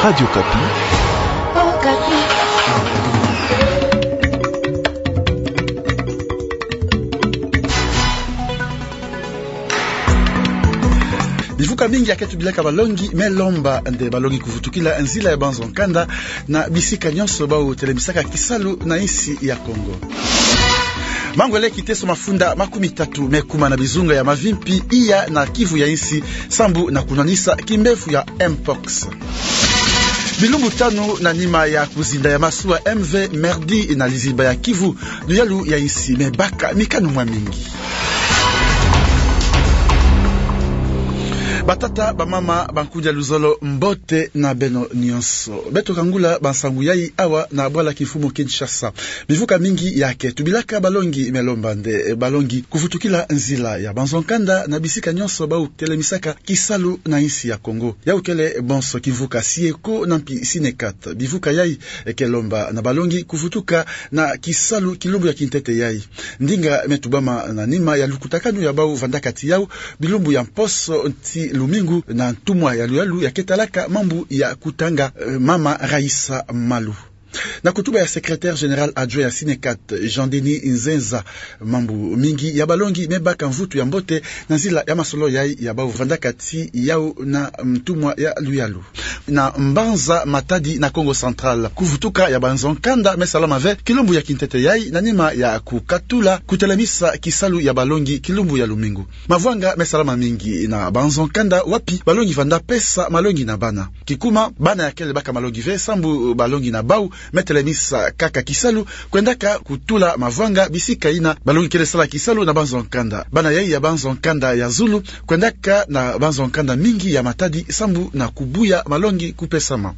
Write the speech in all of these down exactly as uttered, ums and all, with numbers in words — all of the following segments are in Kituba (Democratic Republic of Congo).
Radio Okapi. Bivuka mingi ya ke tubilaka balongi, me lomba nde balongi kuvutukila nzila ya banzo nkanda na bisika nyonso bau telemisaka kisalu na insi ya Kongo. Mangwele kiteso mafunda makumi tatu me kuma na bizunga ya mavimpi iya na Kivu ya insi, sambu na kunwanisa kimbevo ya mpox. Bilumbu tanu na nima ya kuzinda ya masuwa M V Merdi na lizimba ya Kivu, luyalu ya insi me baka mikanu mwa mingi. Batata, bamama, bankudia luzolo, mbote na beno nyonso. Beto kangula bansangu yai awa na bwala kimfumu Kinshasa. Bivuka mingi ya ke tubilaka balongi, me lomba nde balongi kuvutukila nzila ya banzo nkanda na bisika nyonso bau telemisaka kisalu na insi ya Kongo. Yau kele bonso kimvuka Sieko na mpi Sinekat. Bivuka yai ke lomba na balongi kuvutuka na kisalu kilumbu ya kintete yai. Ndinga me tubama na nima ya lukutakanu ya bau vandaka ti yau bilumbu ya mposo ti lumingu na ntumwa ya luyalu ya ke talaka mambu ya kutanga, eh, mama Raïssa Malu. Na kutuba ya secrétaire général adjoint ya Sinekat, Jean-Denis Nzenza, mambu mingi ya balongi me baka mvutu ya mbote na nzila ya masolo yai ya bau vandaka ti yau na ntumwa ya luyalu. Na mbanza Matadi na Kongo Central, kuvutuka ya banzo nkanda me salama ve kilumbu ya kintete yai na nima ya kukatula kutelemisa kisalu ya balongi kilumbu ya lumingu. Mavwanga me salama mingi na banzo nkanda wapi balongi vanda pesa malongi na bana. Kikuma, bana ya kele baka malongi ve sambu balongi na bau me telemisa kaka kisalu kwendaka kutula mavwanga bisika ina balongi kele sala kisalu na banzo nkanda. Bana yai ya banzo nkanda ya zulu kwendaka na banzo nkanda mingi ya Matadi sambu na kubuya malongi kupesama.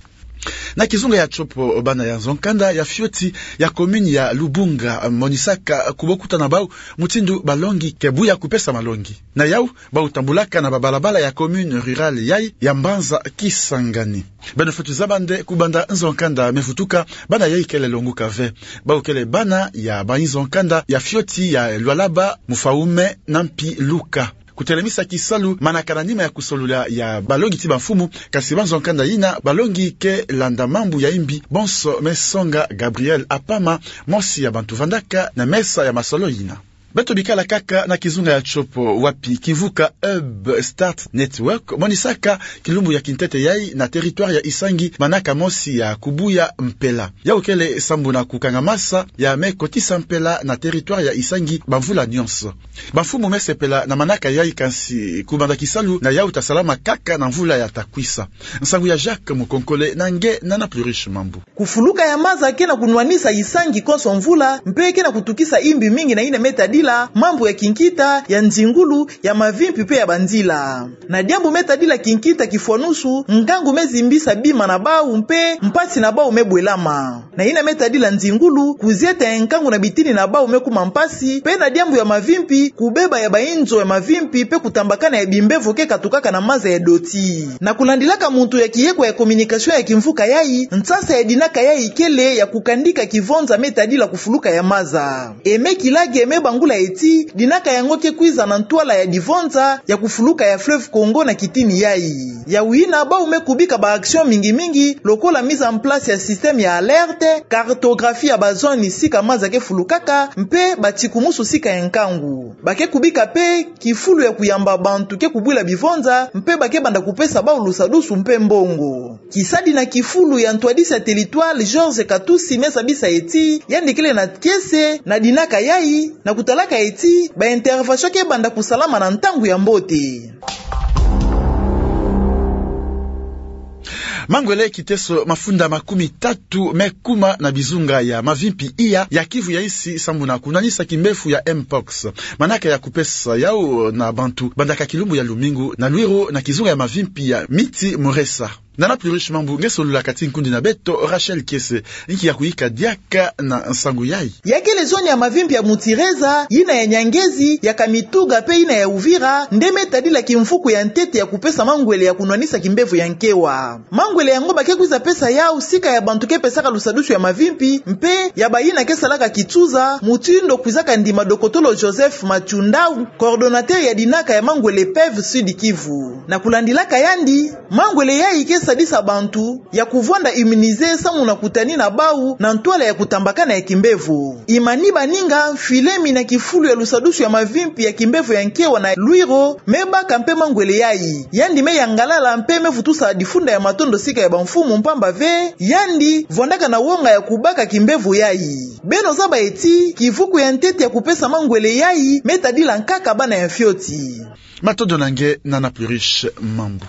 Na kizunga ya tsopo, bana ya nzo nkanda ya fioti ya commune ya Lubunga monisaka kubokuta na bau mutindu balongi ke buya kupesa malongi. Na yau, bau tambulaka na babalabala ya commune rurale yai ya mbanza Kisangani. Beno fweti zaba nde kubanda nzo nkanda me vutuka, bana yai kele longuka ve. Bau kele bana ya banzo nkanda ya fioti ya Lualaba, Mufaume na mpi Luka. Kutelemisa kisalu manaka na nima ya kusolula ya balongi ti bamfumu, kasi banzo nkanda ina balongi ke landa mambu ya imbi, bonso me songa Gabriel Apama, mosi ya bantu vandaka na mesa ya masolo ina. Beto bikala kaka na kizunga ya tsopo wapi kimvuka Hub Start Network monisaka kilumbu ya kintete yai na territoire ya Isangi manaka mosi ya kubuya mpela. Yau kele sambu na kukangamasa ya me kotisa mpela na territoire ya Isangi bamvula nyonso. Bamfumu me sepela na manaka yai, kansi kubanda kisalu na yau ta salama kaka na mvula ya ta kwisa. Nsangu ya Jacques Mukonkole na nge na Nana Pluriche Mambu. Kufuluka ya maza ke na kunwanisa Isangi konso mvula, mpe ke na kutukisa imbi mingi na yina me tadila mambu ya kinkita, ya nzingulu, ya mavimpi mpe ya banzila. Na diambu me tadila kinkita kifwanusu, nkangu me zimbisa bima na bau mpe mpasi na bau me bwelama. Na yina me tadila nzingulu, kuzieta ya nkangu na bitini na bau me kuma mpasi, mpe na diambu ya mavimpi, kubeba ya bainzo ya mavimpi mpe kutambakana ya bimbevo ke katukaka na maza ya doti. Na kulandilaka muntu ya kiyekwa ya communication ya kimvuka yai, nsasa ya dinaka yai kele ya kukandika kivonza me tadila kufuluka ya maza. E me kilage me bangula eti, dinaka yango ke kwiza na ntwala ya divonza ya kufuluka ya fleuve Congo na kitini yai. Yawu yina bau me kubika ba action mingi mingi, lokola mise en place ya système ya alerte, cartographie ya ba zone sika maza ke fulukaka, mpe batikumusu sika ya nkangu. Ba ke kubika mpe kifulu ya kuyamba bantu ke kubwila bivonza, mpe ba ke banda kupesa bau lusadusu mpe mbongo. Kisadi na kifulu ya ntwadisi ya territoire Georges Katusi me zabisa eti, yandi kele na kiese na dinaka yai, na kutalaka eti ba intervention ke banda kusalama na ntangu ya mbote. Mangwele kiteso mafunda makumi tatu me kuma na bizunga ya mavimpi iya ya Kivu ya insi sambu na kunwanisa kimbevo ya mpox. Manaka ya kupesa yau na bantu bandaka kilumbu ya lumingu na Luiro na kizunga ya mavimpi ya Miti Muresa. Nana Pluriche Mambu nge solula kati nkundi na beto Rachel Kiese, inki ya kuyika diaka na nsangu yai. Ya kele zone ya mavimpi ya Mutireza, yina ya Nyangezi, ya Kamituga mpe yina ya Uvira, nde me tadila kimvuku ya ntete ya kupesa mangwele ya kunwanisa kimbevo ya nkewa. Mangwele yango ba ke kwiza pesa yau sika ya bantu ke pesaka lusadusu ya mavimpi, mpe ya bayina ke salaka kitsuza, mutindu kwizaka ndima dokotolo Joseph Matshundau, coordonnateur ya dinaka ya mangwele PEV Sud Kivu. Na kulandilaka yandi, mangwele yai ke sadisa bantu ya kuvwanda immunisé samu na kutanina bau na ntwala ya kutambakana ya kimbevo. Imani baninga, mfilemi na kifulu ya lusadusu ya mavimpi ya kimbevo ya nkewa na Luiro me baka mpe mangwele yayi. Yandi me yangalala mpe me vutusa difunda ya matondo sika ya bamfumu mpamba ve yandi vwandaka na wonga ya kubaka kimbevo yayi. Beno zaba ti kivuku ya ntete ya kupesa mangwele yayi me tadila nkaka bana ya mfioti. Matondo na nge, Nana Pluriche Mambu.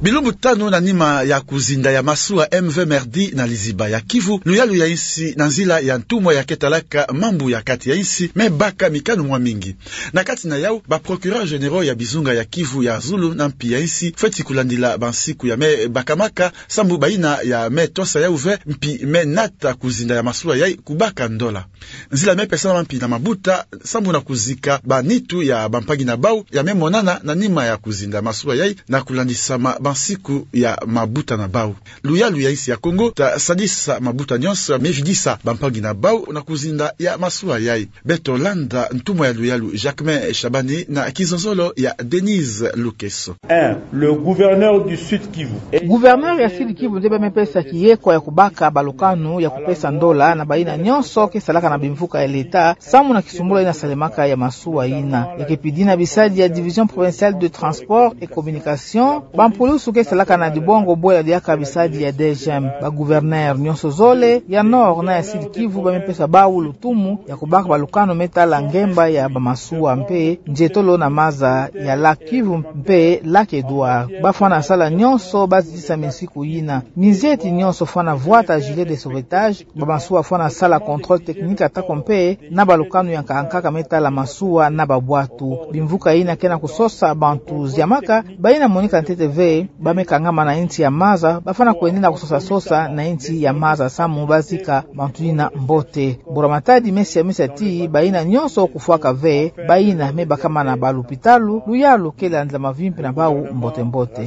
Bilumbu tanu na nima ya kuzinda ya masuwa M V Merdi na liziba ya Kivu, luyalu ya insi na nzila ya ntumwa ya ketalaka mambu ya kati ya insi me baka mikanu mwa mingi. Na kati na yau, ba procureurs généraux ya bizunga ya Kivu ya zulu na mpi ya insi fweti kulandila bansiku ya me bakamaka, sambu bayina ya me tosa yau ve mpi me nata kuzinda ya masuwa yayi kubaka ndola. Nzila me pesama mpi na mabuta sambu na kuzika banitu ya bampangi na bau ya me monana na nima ya kuzinda masuwa yayi na kulandisama bansiku ya mabuta na bau. Luyalu ya insi ya Kongo ta sadisa mabuta nyonso me vidisa bampangi na bau na kuzinda ya masuwa yayi. Beto landa ntumwa ya luyalu Jacquemain Shabani na kizonzolo ya Denise Lukeso. Un, le gouverneur du Sud Kivu. Gouverneur ya Sud Kivu nde ba me pesa kiyekwa ya kubaka balukanu ya kupesa ndola na bayina nyonso ke salaka na bimvuka ya leta, samu na kisumbula yina salemaka ya masuwa yina. Ya ke pidina bisadi ya Division Provinciale de Transport et Communication, bampulusu ke salaka na dibongo bwela diaka bisadi ya D G M, ba gouverneur nyonso zole ya Nord na ya Sud Kivu ba me pesa bau lutumu ya kubaka balukanu me tala ngemba ya bamasuwa mpe nzietolo na maza ya lac Kivu mpe lac Edouard. Ba fwana sala nyonso ba zitisa minsiku yina. Minzieti nyonso fwana vwata gilet de sauvetage, bamasuwa fwana sala contrôle technique atako mpe na balukanu ya nkaka nkaka me tala masuwa na babwatu. Bimvuka yina ke na kusosa bantu ziamaka, bayina monika ntete ve ba me kangama na insi ya maza, ba fwana kwendina kusosa sosa na insi ya maza samu ba zika bantu yina mbote. Mbura Matadi me siamisa ti bayina nyonso kufwaka ve, bayina me bakama na balupitalu, luyalu ke landila mavimpi na bau mbote mbote.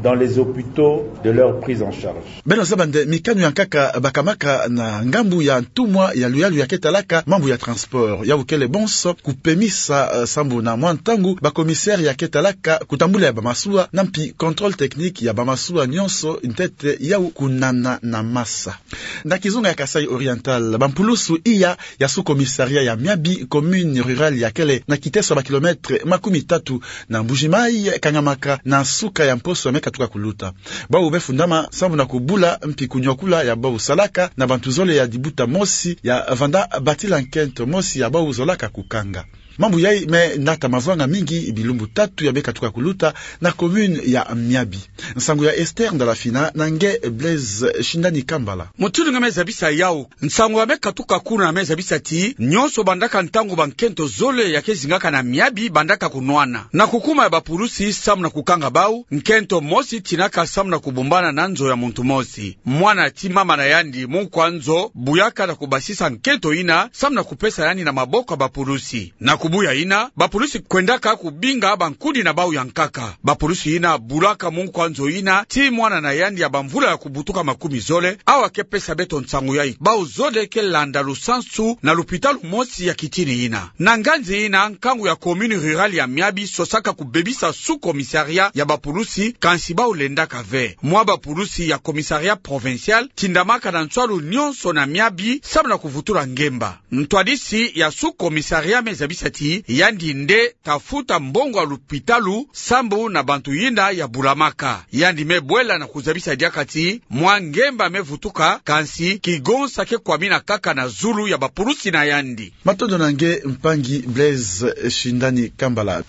Dans les hôpitaux de leur prise en charge. Beno zaba nde mikanu ya nkaka bakamaka na ngambu ya ntumwa ya luyalu ya ketalaka mambu ya transport. Yau kele bonso kupemisa, eh, sambu na mwa ntangu ba commissaire ya ketalaka kutambula ya bamasuwa na mpi contrôle technique ya bamasuwa nyonso ntete yau kunana na masa. Na kizunga ya Kasaï Oriental, bampulusu iya ya sous-commissariat ya Miabi, commune rurale ya kele na kiteso ya ba kilomètres makumi tatu na Mbuji-Mayi, kangamaka na suka ya mposo ya me katuka kuluta. Bau be fundama sambu na kubula mpi kunyokula ya bau salaka na bantu zole ya dibuta mosi ya vanda batila nkento mosi ya bau zolaka kukanga. Mambu yayi me nata mavanga mingi bilumbu tatu ya me katuka kuluta na commune ya Miabi. Nsangu ya Esther Ndalafina na nge Blaise Shindani Kambala. Mutindu nge me zabisa yau, nsangu ya me katuka kuna me zabisa ti nyonso bandaka ntangu bankento zole ya ke zingaka na Miabi bandaka kunwana. Na kukuma ya bapulusi samu na kukanga bau, nkento mosi tinaka samu na kubumbana na nzo ya muntu mosi. Mwana ti mama na yandi, munkwa nzo, buyaka na kubasisa nkento yina samu na kupesa yandi na maboko ya bapulusi. Na kubuya yina, bapulusi kwendaka kubinga bankudi na bau ya nkaka. Bapulusi yina bulaka munkwa nzo yina ti mwana na yandi ya bamvula ya kubutuka makumi zole, awa ke pesa beto nsangu yayi. Bau zole ke landa lusansu na lupitalu mosi ya kitini yina. Na nganzi yina, nkangu ya commune rurale ya Miabi sosaka kubebisa sous-commissariat ya bapulusi, kansi bau lendaka ve. Mwa bapulusi ya commissariat provincial tindamaka na nswalu nyonso na Miabi samu na kuvutula ngemba. Ntwadisi ya sous-commissariat me zabisa ti yandi nde ta futa mbongo ya lupitalu sambu na bantu yina ya bulamaka. Yandi me bwela na kuzabisa diaka ti mwa ngemba me vutuka, kansi kigonsa ke kwamina kaka na zulu ya bapulusi na yandi. Matondo na nge mpangi Blaise Shindani Kambala.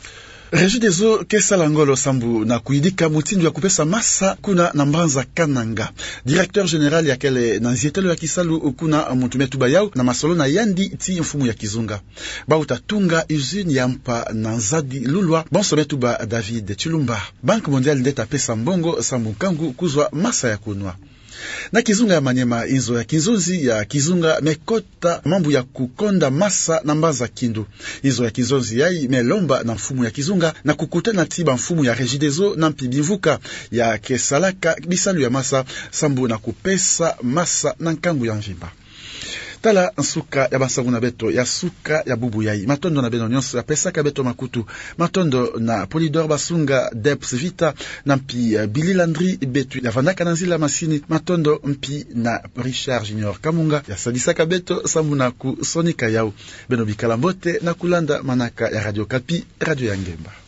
Regideso ke sala ngolo sambu na kuyidika mutindu ya kupesa masa kuna na mbanza Kananga. Directeur général ya kele na nzietelo ya kisalu kuna, muntu me tuba yau na masolo na yandi ti mfumu ya kizunga. Bau ta tunga usine ya mpa na Nzadi Lulwa, bonso me tuba David Tshilumba. Banque Mondiale nde ta pesa mbongo sambu nkangu kuzwa masa ya kunwa. Na kizunga ya Maniema, inzo ya kinzonzi ya kizunga me kota mambu ya kukonda masa na mbanza Kindu. Inzo ya kinzonzi yayi me lomba na mfumu ya kizunga na kukutana ti bamfumu ya Regideso na mpi bimvuka ya ke salaka bisalu ya masa sambu na kupesa masa na nkangu ya mvimba. Tala nsuka ya bansangu na beto ya suka ya bubu yai. Matondo na beno nyonso ya pesaka beto makutu. Matondo na Polydor Basunga, Debs Vita, na mpi, eh, Billy Landry, beto ya vandaka na nzila masini. Matondo mpi na Richard Junior Kamunga, ya sadisaka beto sambu na kusonika yau. Beno bikala mbote na kulanda manaka ya Radio Okapi, Radio ya Ngemba.